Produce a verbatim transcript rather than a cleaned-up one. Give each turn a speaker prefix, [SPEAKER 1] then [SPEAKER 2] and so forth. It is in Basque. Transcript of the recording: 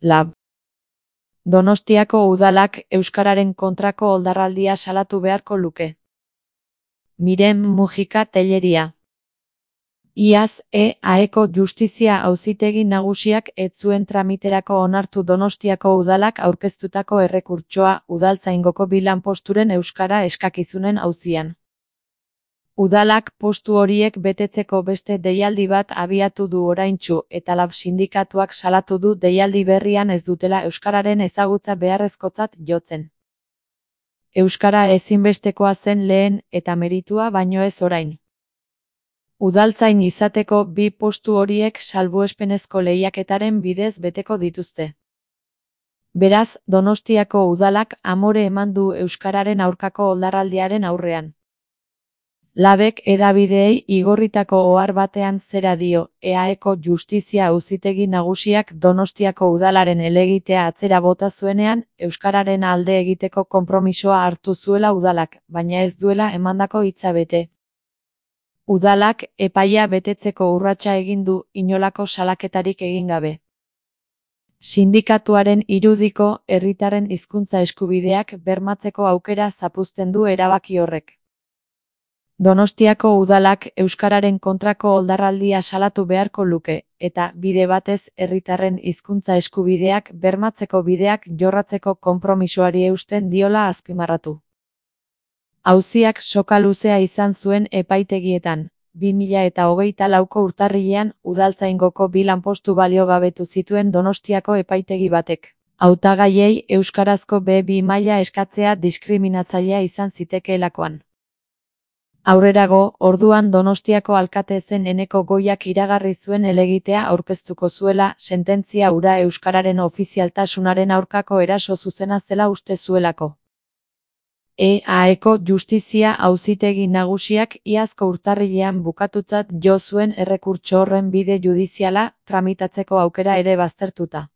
[SPEAKER 1] Lab. Donostiako udalak euskararen kontrako oldarraldia salatu beharko luke. Miren Mujika Telleria. Iaz, E A Eko Justizia Auzitegi Nagusiak ez zuen tramiterako onartu Donostiako udalak aurkeztutako errekurtsoa udaltzaingoko bi lanposturen euskara eskakizunen auzian. Udalak postu horiek betetzeko beste deialdi bat abiatu du oraintsu eta Lab sindikatuak salatu du deialdi berrian ez dutela euskararen ezagutza beharrezkotzat jotzen. Euskara ezinbestekoa zen lehen eta meritua baino ez orain. Udaltzain izateko bi postu horiek salbuespenezko lehiaketaren bidez beteko dituzte. Beraz, Donostiako udalak amore eman du euskararen aurkako oldarraldiaren aurrean. Labek hedabideei igorritako ohar batean zera dio, E A Eko Justizia Auzitegi Nagusiak Donostiako udalaren helegitea atzera bota zuenean, euskararen alde egiteko konpromisoa hartu zuela udalak, baina ez duela emandako hitza bete. Udalak epaia betetzeko urratsa egin du, inolako salaketarik egin gabe. Sindikatuaren irudiko, herritarren hizkuntza eskubideak bermatzeko aukera zapuzten du erabaki horrek. Donostiako udalak euskararen kontrako oldarraldia salatu beharko luke, eta bide batez herritarren hizkuntza eskubideak bermatzeko bideak jorratzeko konpromisoari eusten diola azpimarratu. Auziak soka luzea izan zuen epaitegietan. bi mila eta hogeita lauko urtarrilean udaltzaingoko bi lanpostu baliogabetu zituen Donostiako epaitegi batek. Hautagaiei euskarazko be bi maila eskatzea diskriminatzailea izan zitekeelakoan. Aurrerago, orduan Donostiako alkate zen Eneko Goiak iragarri zuen helegitea aurkeztuko zuela, sententzia hura euskararen ofizialtasunaren aurkako eraso zuzena zela uste zuelako. E A Eko Justizia Auzitegi Nagusiak iazko urtarrilean bukatutzat jo zuen errekurtso horren bide judiziala tramitatzeko aukera ere baztertuta.